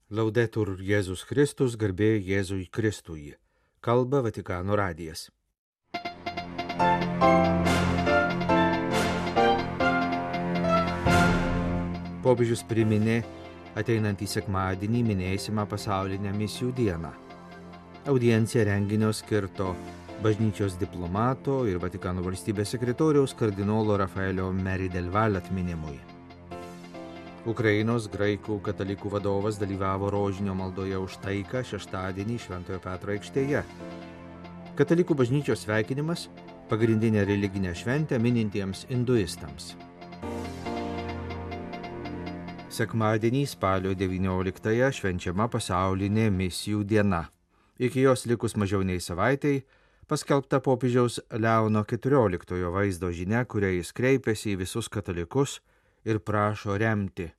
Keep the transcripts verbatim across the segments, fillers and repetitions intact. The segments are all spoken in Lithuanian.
Laudetur Jėzus Kristus, garbė Jėzui Kristui. Kalba Vatikano radijas. Popiežius priminė ateinantį sekmadienį minėsimą pasaulinę misijų dieną. Audiencija renginio skirto bažnyčios diplomato ir Vatikano valstybės sekretoriaus kardinolo Rafaelio Meri del Valle atminimui. Ukrainos graikų katalikų vadovas dalyvavo rožinio maldoje už taiką šeštadienį Šventojo Petro aikštėje. Katalikų bažnyčios sveikinimas – pagrindinė religinė šventė minintiems hinduistams. Sekmadienį spalio devynioliktąją švenčiama pasaulinė misijų diena. Iki jos likus mažiau nei savaitei paskelbta popiežiaus Leono keturioliktojo vaizdo žinia, kuria jis kreipėsi į visus katalikus ir prašo remti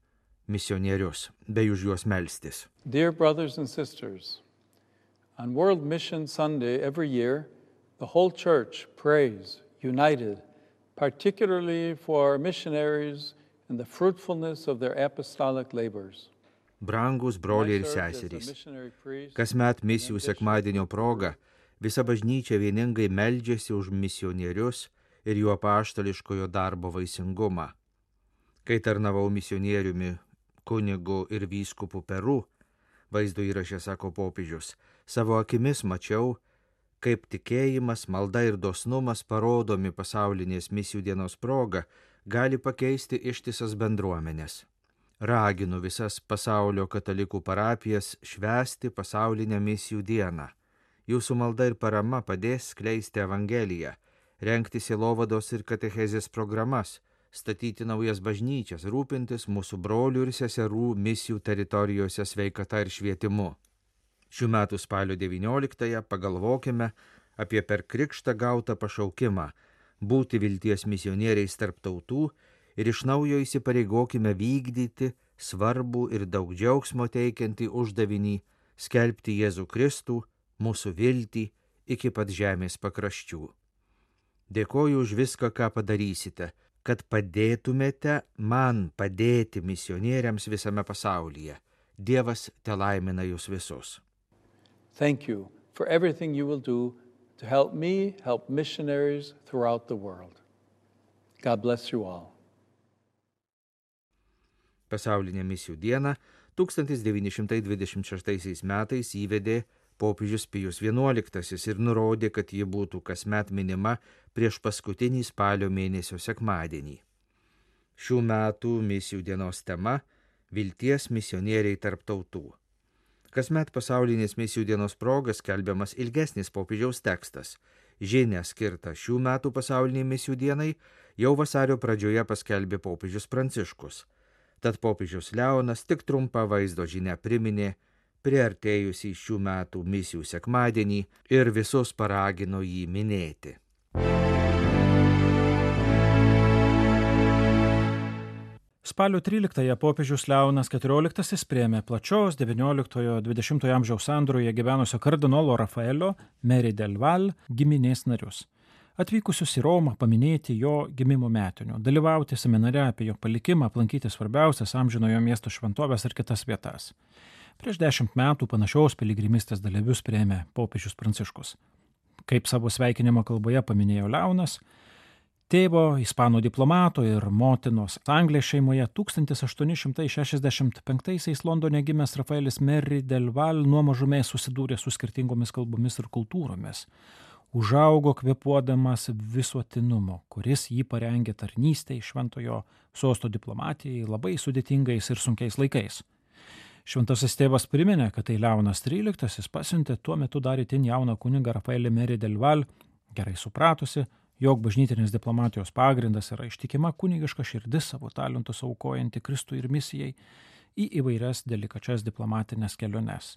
misionierius, bei už juos melstis. Dear brothers and sisters, on World Mission Sunday every year, the whole church prays, united, particularly for missionaries and the fruitfulness of their apostolic labors. Brangus broliai ir seserys, kasmet misijų sekmadienio proga visa bažnyčia vieningai meldžiasi už misionierius ir jų apaštališkojo darbo vaisingumą. Kai tarnavau misionieriumi kunigu ir vyskupu Peru, vaizdo įraše sako popiežius, savo akimis mačiau, kaip tikėjimas, malda ir dosnumas parodomi pasaulinės misijų dienos proga gali pakeisti ištisas bendruomenės. Raginu visas pasaulio katalikų parapijas švęsti pasaulinę misijų dieną. Jūsų malda ir parama padės skleisti evangeliją, rengti sielovados ir katechezės programas, statyti naujas bažnyčias, rūpintis mūsų brolių ir seserų misijų teritorijose sveikata ir švietimu. Šių metų spalio devynioliktąją pagalvokime apie per krikštą gautą pašaukimą būti vilties misionieriais tarp tautų ir iš naujo įsipareigokime vykdyti svarbų ir daug džiaugsmo teikiantį uždavinį skelbti Jėzų Kristų, mūsų viltį iki pat žemės pakraščių. Dėkoju už viską, ką padarysite, kad padėtumėte man padėti misionieriams visame pasaulyje. Dievas telaimina jūs visus. Thank you for everything you will do to help me help missionaries throughout the world. God bless you all. Pasaulinę misijų dieną tūkstantis devyni šimtai dvidešimt šeštaisiais metais įvedė popiežius Pijus vienuoliktasis ir nurodė, kad ji būtų kasmet minima prieš paskutinį spalio mėnesio sekmadienį. Šių metų misijų dienos tema – vilties misionieriai tarp tautų. Kasmet pasaulinės misijų dienos proga skelbiamas ilgesnis popiežiaus tekstas. Žinią skirtą šių metų pasauliniai misijų dienai jau vasario pradžioje paskelbė popiežius Pranciškus. Tad popiežius Leonas tik trumpą vaizdo žinią priminė, priartėjusį šių metų misijų sekmadienį ir visus paragino jį minėti. Spalio tryliktąją popiežius Leonas keturioliktasis priėmė plačios devynioliktojo dvidešimtojo amžiaus sandūroje gyvenusio kardinolo Rafaelio Meri del Valle giminės narius, atvykusius į Romą paminėti jo gimimo metinių, dalyvauti seminare apie jo palikimą, aplankyti svarbiausias amžinojo miesto šventovės ir kitas vietas. Prieš dešimt metų panašiaus piligrimystės dalyvius priėmė popiežius Pranciškus. Kaip savo sveikinimo kalboje paminėjo Leonas, tėvo ispanų diplomato ir motinos Anglės šeimoje tūkstantis aštuoni šimtai šešiasdešimt penktaisiais Londone gimęs Rafaelis Meri del Valle nuo mažumės susidūrė su skirtingomis kalbomis ir kultūromis. Užaugo kvėpuodamas visuotinumo, kuris jį parengė tarnystei šventojo sosto diplomatijai labai sudėtingais ir sunkiais laikais. Šventasis tėvas priminė, kad tai Leonas tryliktasis pasiuntė tuo metu dar itin jauną kunigą Rafaelį Meri del Valle, gerai supratusi, jog bažnytinės diplomatijos pagrindas yra ištikima kunigiška širdis savo talentus aukojanti Kristui ir misijai į įvairias delikačias diplomatinės keliones.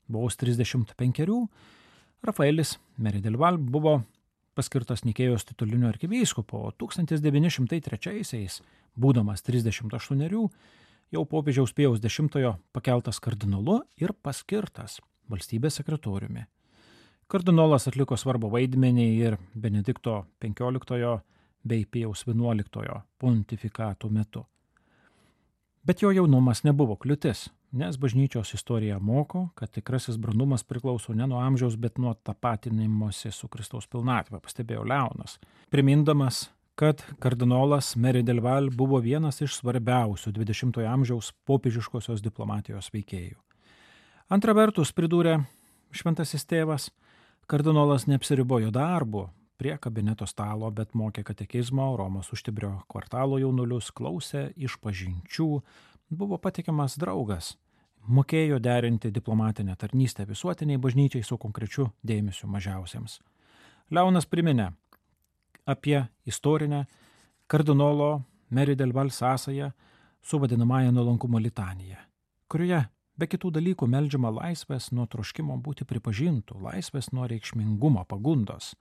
Vos trisdešimt penkerių, Rafaelis Meri del Valle buvo paskirtas Nikėjos tituliniu arkivyskupu, o tūkstantis devyni šimtai trečiaisiais, būdamas trisdešimt aštuonerių, jau popiežiaus Pijaus dešimtojo pakeltas kardinolu ir paskirtas valstybės sekretoriumi. Kardinolas atliko svarbų vaidmenį ir Benedikto penkioliktojo bei Pijaus vienuoliktojo pontifikatų metu. Bet jo jaunumas nebuvo kliūtis, nes bažnyčios istorija moko, kad tikrasis brandumas priklauso ne nuo amžiaus, bet nuo tapatinimosi su Kristaus pilnatvė, pastebėjo Leonas, primindamas, kad kardinolas Mary del Val buvo vienas iš svarbiausių dvidešimtojo amžiaus popiežiškosios diplomatijos veikėjų. Antra vertus, pridūrė šventasis tėvas, kardinolas neapsiribojo darbu prie kabineto stalo, bet mokė katekizmo, Romos Užtibrio kvartalo jaunulius, klausė išpažinčių, buvo patikimas draugas, mokėjo derinti diplomatinę tarnystę visuotiniai bažnyčiai su konkrečiu dėmesiu mažiausiems. Leonas priminė apie istorinę kardinolo Mary del Val sąsają su vadinamąja nuolankumo litanija, kurioje be kitų dalykų meldžiama laisvės nuo troškimo būti pripažintų, laisvės nuo reikšmingumo, pagundos.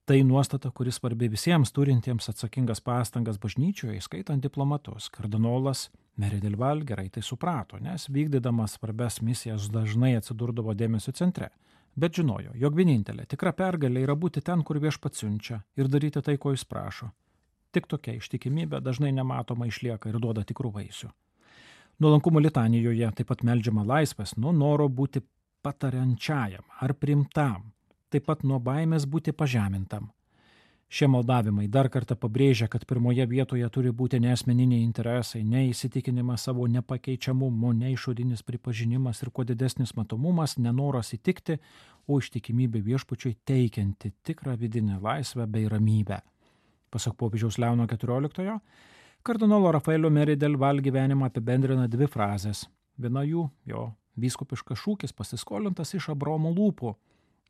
Tai nuostata, kuris svarbi visiems turintiems atsakingas pastangas bažnyčioje, įskaitant diplomatus. Kardinolas Mary del Val gerai tai suprato, nes vykdydamas svarbias misijas dažnai atsidurdavo dėmesio centre. Bet žinojo, jog vienintelė tikra pergalė yra būti ten, kur viešpats siunčia ir daryti tai, ko jis prašo. Tik tokia ištikimybė dažnai nematoma išlieka ir duoda tikrų vaisių. Nuolankumo litanijoje taip pat meldžiama laisvės nuo noro būti patariančiajam ar priimtam, taip pat nuo baimės būti pažemintam. Šie maldavimai dar kartą pabrėžia, kad pirmoje vietoje turi būti ne asmeniniai interesai, ne įsitikinimas savo nepakeičiamumu, ne išorinis pripažinimas ir kuo didesnis matomumas, nenoras įtikti, o ištikimybė viešpačiui teikianti tikrą vidinę laisvę bei ramybę. Pasak popiežiaus Leono keturioliktojo, kardinolo Rafaelio Mary del Val gyvenimą apibendrina dvi frazės. Viena jų, jo vyskupiškas šūkis pasiskolintas iš Abraomo lūpų: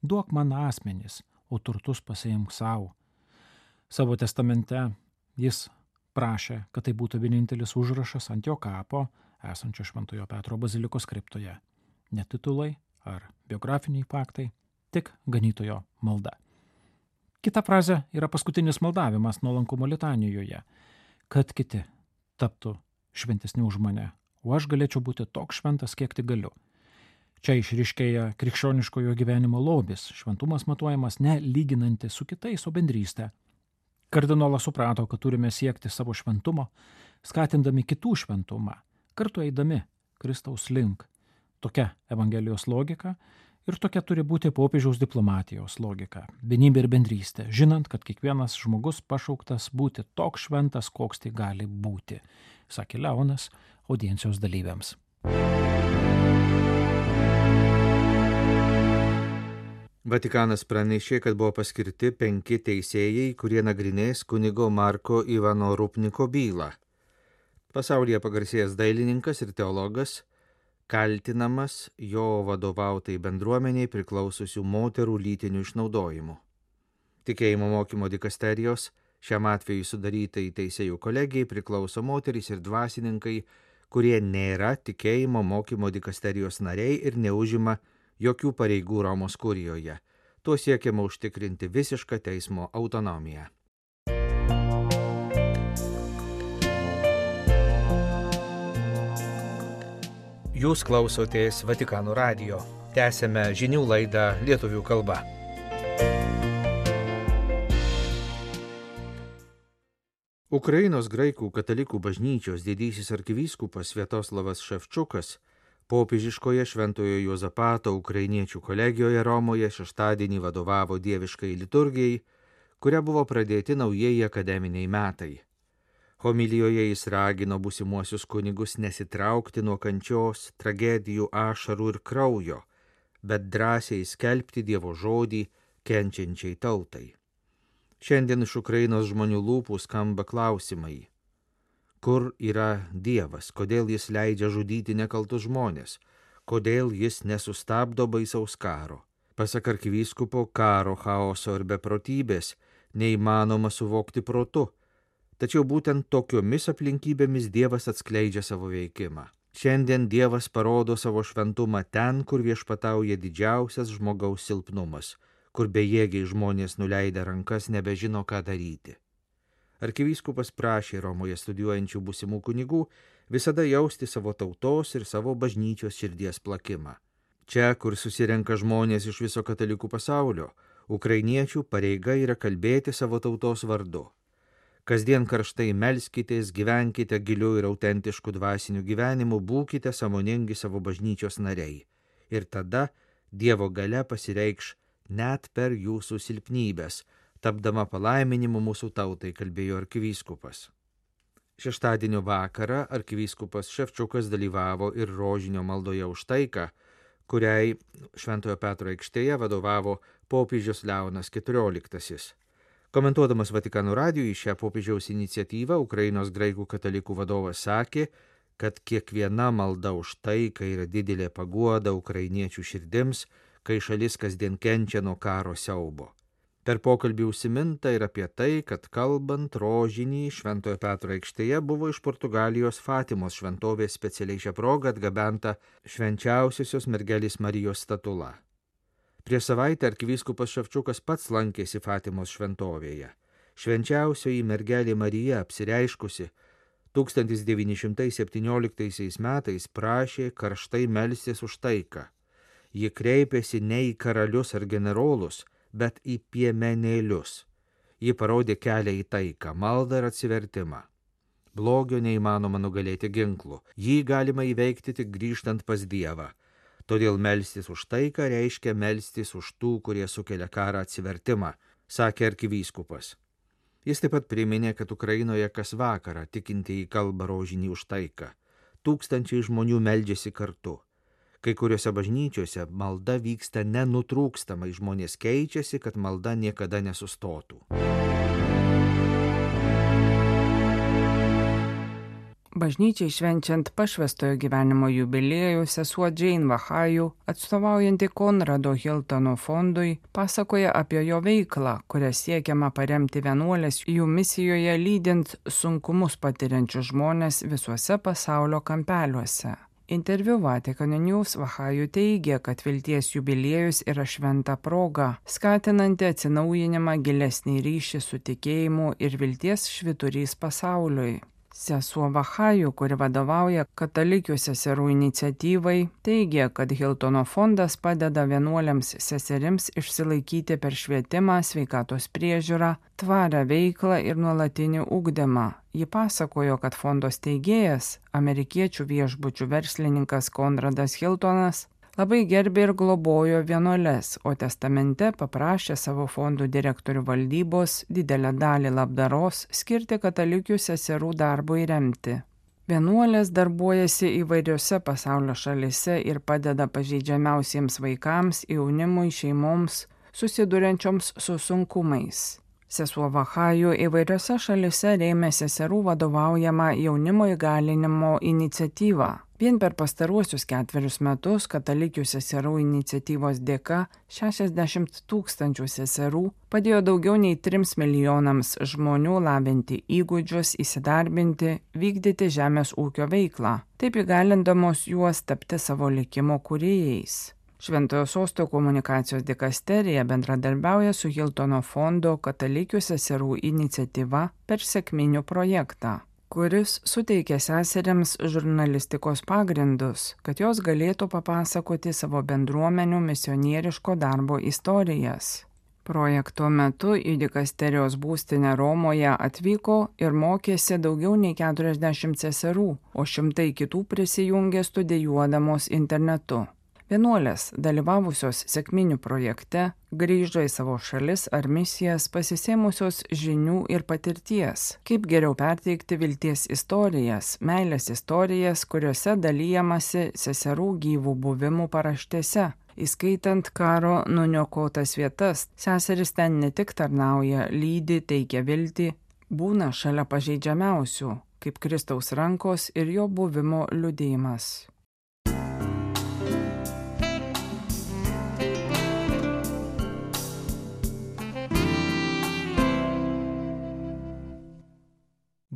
duok man asmenis, o turtus pasiimk savo. Savo testamente jis prašė, kad tai būtų vienintelis užrašas ant jo kapo, esančio Šventojo Petro bazilikos kriptoje. Ne titulai ar biografiniai faktai, tik ganytojo malda. Kita frazė yra paskutinis maldavimas nuolankumo litanijoje, kad kiti taptų šventesni už mane, o aš galėčiau būti toks šventas, kiek tik galiu. Čia išryškėja krikščioniškojo gyvenimo lobis, šventumas matuojamas ne lyginantis su kitais, o bendrystė. Kardinolas suprato, kad turime siekti savo šventumo, skatindami kitų šventumą, kartu eidami Kristaus link. Tokia Evangelijos logika ir tokia turi būti popiežiaus diplomatijos logika, vienybė ir bendrystė, žinant, kad kiekvienas žmogus pašauktas būti toks šventas, koks tai gali būti, sakė Leonas audiencijos dalyviams. Vatikanas pranešė, kad buvo paskirti penki teisėjai, kurie nagrinės kunigo Marko Ivano Rupniko bylą. Pasaulyje pagarsėjęs dailininkas ir teologas, kaltinamas jo vadovautai bendruomeniai priklausiusių moterų lytiniu išnaudojimu. Tikėjimo mokymo dikasterijos šiam atveju sudarytai teisėjų kolegijai priklauso moterys ir dvasininkai, kurie nėra tikėjimo mokymo dikasterijos nariai ir neužima jokių pareigų Romos kurijoje. Tuo siekiama užtikrinti visišką teismo autonomiją. Jūs klausotės Vatikano radijo. Tęsiame žinių laidą lietuvių kalba. Ukrainos graikų katalikų bažnyčios didysis arkivyskupas Sviatoslavas Ševčukas popiežiškoje Šventojo Juozapato ukrainiečių kolegijoje Romoje šeštadienį vadovavo dieviškai liturgijai, kuria buvo pradėti naujieji akademiniai metai. Homilijoje jis ragino būsimuosius kunigus nesitraukti nuo kančios, tragedijų, ašarų ir kraujo, bet drąsiai skelbti Dievo žodį kenčiančiai tautai. Šiandien iš Ukrainos žmonių lūpų skamba klausimai. Kur yra Dievas, kodėl jis leidžia žudyti nekaltus žmonės, kodėl jis nesustabdo baisaus karo. Pasak arkivyskupo, karo, chaoso ir beprotybės neįmanoma suvokti protu, tačiau būtent tokiomis aplinkybėmis Dievas atskleidžia savo veikimą. Šiandien Dievas parodo savo šventumą ten, kur viešpatauja didžiausias žmogaus silpnumas, kur bejėgiai žmonės nuleidę rankas nebežino, ką daryti. Arkivyskupas prašė Romoje studijuojančių būsimų kunigų visada jausti savo tautos ir savo bažnyčios širdies plakimą. Čia, kur susirenka žmonės iš viso katalikų pasaulio, ukrainiečių pareiga yra kalbėti savo tautos vardu. Kasdien karštai melskitės, gyvenkite giliu ir autentišku dvasiniu gyvenimu, būkite sąmoningi savo bažnyčios nariai. Ir tada Dievo galia pasireikš net per jūsų silpnybės, tapdama palaiminimu mūsų tautai, kalbėjo arkivyskupas. Šeštadienio vakarą arkivyskupas Ševčiukas dalyvavo ir rožinio maldoje už taiką, kuriai Šventojo Petro aikštėje vadovavo popiežius Leonas keturioliktasis. Komentuodamas Vatikano radijui šią popiežiaus iniciatyvą, Ukrainos graikų katalikų vadovas sakė, kad kiekviena malda už taiką yra didelė paguoda ukrainiečių širdims, kai šalis kasdien kenčia nuo karo siaubo. Per pokalbį užsiminta ir apie tai, kad kalbant rožinį Šventojo Petro aikštėje buvo iš Portugalijos Fatimos šventovės specialiai šią progą atgabenta švenčiausiosios mergelės Marijos statula. Prieš savaitę arkivyskupas Ševčiukas pats lankėsi Fatimos šventovėje. Švenčiausioji mergelė Marija apsireiškusi tūkstantis devyni šimtai septynioliktaisiais metais prašė karštai melstis už taiką. Ji kreipėsi ne į karalius ar generolus, bet į piemenėlius. Ji parodė kelią į taiką, maldą ir atsivertimą. Blogio neįmanoma nugalėti ginklu, jį galima įveikti tik grįžtant pas Dievą. Todėl melstis už taiką reiškia melstis už tų, kurie sukelia karą atsivertimą, sakė arkivyskupas. Jis taip pat priminė, kad Ukrainoje kas vakarą tikintieji kalba rožinį už taiką. Tūkstančiai žmonių meldžiasi kartu. Kai kuriuose bažnyčiose malda vyksta nenutrūkstamai, žmonės keičiasi, kad malda niekada nesustotų. Bažnyčiai švenčiant pašvęstojo gyvenimo jubiliejų, sesuo Jane Vahajų, atstovaujanti Konrado Hiltono fondui, pasakoja apie jo veiklą, kuria siekiama paremti vienuolės jų misijoje lydint sunkumus patiriančius žmonės visuose pasaulio kampeliuose. Interviu Vatican News Vahajų teigia, kad vilties jubiliejus yra šventa proga, skatinanti atsinaujinimą, gilesnį ryšį su tikėjimu ir vilties švyturys pasauliui. Sesuo Vahajų, kuri vadovauja katalikių seserų iniciatyvai, teigia, kad Hiltono fondas padeda vienuoliams seserims išsilaikyti per švietimą, sveikatos priežiūrą, tvarią veiklą ir nuolatinį ugdymą. Ji pasakojo, kad fondo steigėjas, amerikiečių viešbučių verslininkas Konradas Hiltonas, labai gerbė ir globojo vienuoles, o testamente paprašė savo fondų direktorių valdybos didelę dalį labdaros skirti katalikių seserų darbui remti. Vienuolės darbuojasi įvairiose pasaulio šalise ir padeda pažeidžiamiausiems vaikams, jaunimui, šeimoms, susiduriančioms su sunkumais. Sesuo Vahajų įvairiose šalise rėmė seserų vadovaujamą jaunimo įgalinimo iniciatyvą. Vien per pastaruosius ketverius metus katalikių seserų iniciatyvos dėka šešiasdešimt tūkstančių seserų padėjo daugiau nei trims milijonams žmonių lavinti įgūdžius, įsidarbinti, vykdyti žemės ūkio veiklą, taip įgalindamos juos tapti savo likimo kūrėjais. Šventojo Sosto komunikacijos dikasterija bendradarbiauja su Hiltono fondo katalikių seserų iniciatyva per sekminių projektą, kuris suteikia seseriams žurnalistikos pagrindus, kad jos galėtų papasakoti savo bendruomenių misionieriško darbo istorijas. Projekto metu į dikasterijos būstinę Romoje atvyko ir mokėsi daugiau nei keturiasdešimt seserų, o šimtai kitų prisijungė studijuodamos internetu. Vienuolės, dalyvavusios sekminių projekte, grįžo į savo šalis ar misijas pasisėmusios žinių ir patirties, kaip geriau perteikti vilties istorijas, meilės istorijas, kuriuose dalyjamasi seserų gyvų buvimų paraštėse. Įskaitant karo nuniokotas vietas, seseris ten ne tik tarnauja, lydi, teikia viltį, būna šalia pažeidžiamiausių, kaip Kristaus rankos ir jo buvimo liudijimas.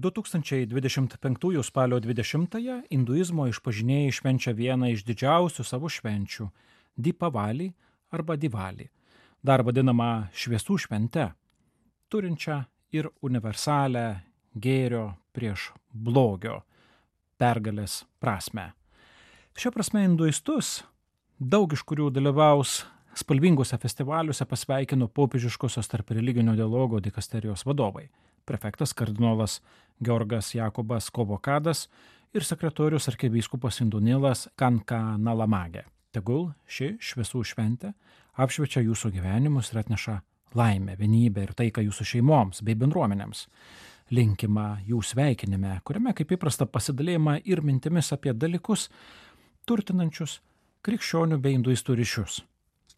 du tūkstančiai dvidešimt penktųjų spalio dvidešimtąją hinduizmo išpažinėjai švenčia vieną iš didžiausių savo švenčių – Dipavalį arba Divalį, dar vadinamą šviesų švente, turinčią ir universalę gėrio prieš blogio pergalės prasmę. Šia prasme hinduistus, daug iš kurių dalyvaus spalvingose festivaliuose, pasveikino popiežiškosios tarp religinio dialogo dikasterijos vadovai. prefektas kardinolas Georgas Jakobas Kovokadas ir sekretorius arkivyskupas Indunilas Kankanalamagė. Tegul ši šviesų šventė apšviečia jūsų gyvenimus ir atneša laimę, vienybę ir taiką jūsų šeimoms bei bendruomenėms. Linkima jų sveikinime, kuriame kaip įprasta pasidalėjama ir mintimis apie dalykus turtinančius krikščionių bei hinduistų ryšius.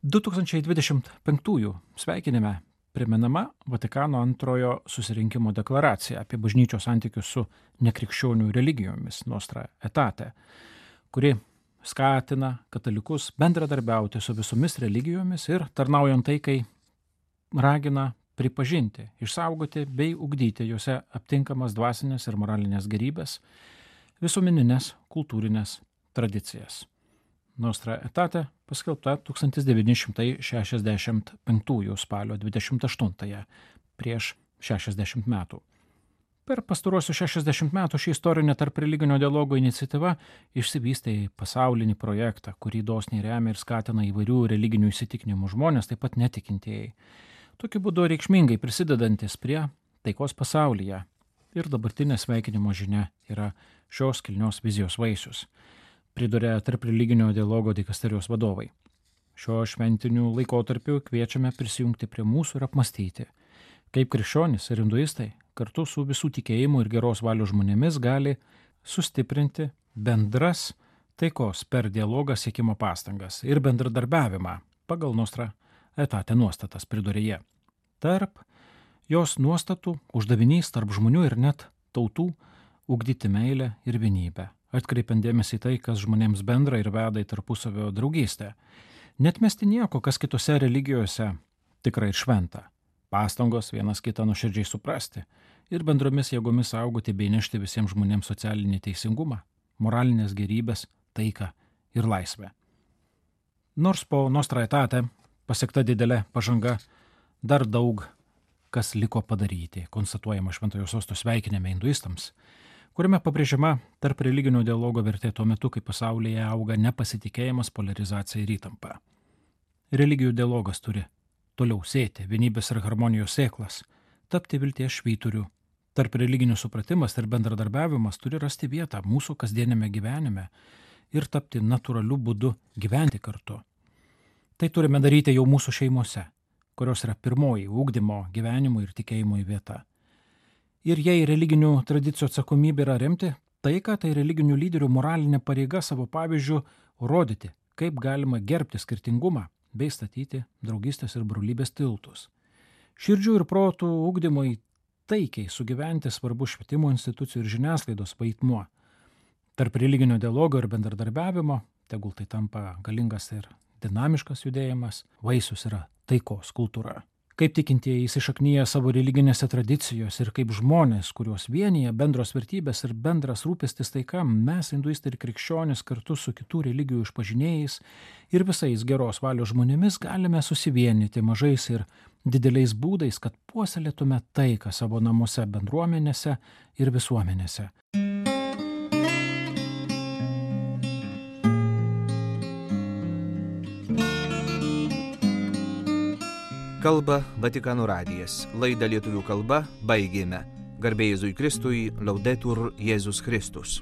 du tūkstančiai dvidešimt penktųjų sveikinime primenama Vatikano antrojo susirinkimo deklaracija apie bažnyčios santykius su nekrikščionių religijomis Nostra Aetate, kuri skatina katalikus bendradarbiauti su visomis religijomis ir tarnaujant taikai ragina pripažinti, išsaugoti bei ugdyti juose aptinkamas dvasinės ir moralinės gerybės, visuomeninės kultūrinės tradicijas. Nostra Aetate paskelbta tūkstantis devyni šimtai šešiasdešimt penktųjų spalio dvidešimt aštuntąją, prieš šešiasdešimt metų. Per pastaruosius šešiasdešimt metų ši istorinė tarp religinio dialogo iniciatyva išsivystė į pasaulinį projektą, kurį dosniai remia ir skatina įvairių religinių įsitikinimų žmonės, taip pat netikintieji. Tokiu būdu reikšmingai prisidedantis prie taikos pasaulyje ir dabartinė sveikinimo žinia yra šios kilnios vizijos vaisius, priduria tarp religinio dialogo dikasterijos vadovai. Šiuo šventiniu laikotarpiu kviečiame prisijungti prie mūsų ir apmastyti, kaip krikščionys ir hinduistai kartu su visų tikėjimų ir geros valios žmonėmis gali sustiprinti bendras taikos per dialogą siekimo pastangas ir bendradarbiavimą pagal Nostra Aetate nuostatas, priduria jie. Tarp jos nuostatų uždavinys tarp žmonių ir net tautų ugdyti meilę ir vienybę, atkreipiant dėmesį į tai, kas žmonėms bendra ir veda į tarpusavio draugystę. Netmesti nieko, kas kitose religijose tikrai ir šventa. Pastangos vienas kitą nuoširdžiai suprasti ir bendromis jėgomis saugoti bei nešti visiems žmonėms socialinį teisingumą, moralinės gerybės, taiką ir laisvę. Nors po Nostra Aetate pasiekta didelė pažanga, dar daug kas liko padaryti, konstatuojama Šventojo Sosto sveikinime hinduistams, kuriame pabrėžiama tarp religinio dialogo vertė tuo metu, kai pasaulyje auga nepasitikėjimas, polarizacija ir įtampa. Religijų dialogas turi toliau sėti vienybės ir harmonijos sėklas, tapti vilties švyturiu. Tarp religinių supratimas ir bendradarbiavimas turi rasti vietą mūsų kasdienėme gyvenime ir tapti natūraliu būdu gyventi kartu. Tai turime daryti jau mūsų šeimose, kurios yra pirmoji ugdymo, gyvenimo ir tikėjimo vieta. Ir jei religinių tradicijų atsakomybė yra remti taiką, tai religinių lyderių moralinė pareiga savo pavyzdžių rodyti, kaip galima gerbti skirtingumą bei statyti draugystės ir brolybės tiltus. Širdžių ir protų ugdymui taikiai sugyventi svarbu švietimo institucijų ir žiniasklaidos vaidmuo. Tarp religinio dialogo ir bendradarbiavimo, tegul tai tampa galingas ir dinamiškas judėjimas, vaisius yra taikos kultūra. Kaip tikintieji įsišaknyja savo religinėse tradicijose ir kaip žmonės, kuriuos vienyje bendros vertybės ir bendras rūpestis taika, mes, hinduistai ir krikščionys, kartu su kitų religijų išpažinėjais ir visais geros valios žmonėmis galime susivienyti mažais ir dideliais būdais, kad puoselėtume taiką savo namuose, bendruomenėse ir visuomenėse. Kalba Vatikano radijas. Laidą lietuvių kalba baigėme. Garbė Jėzui Kristui, Laudetur Jėzus Kristus.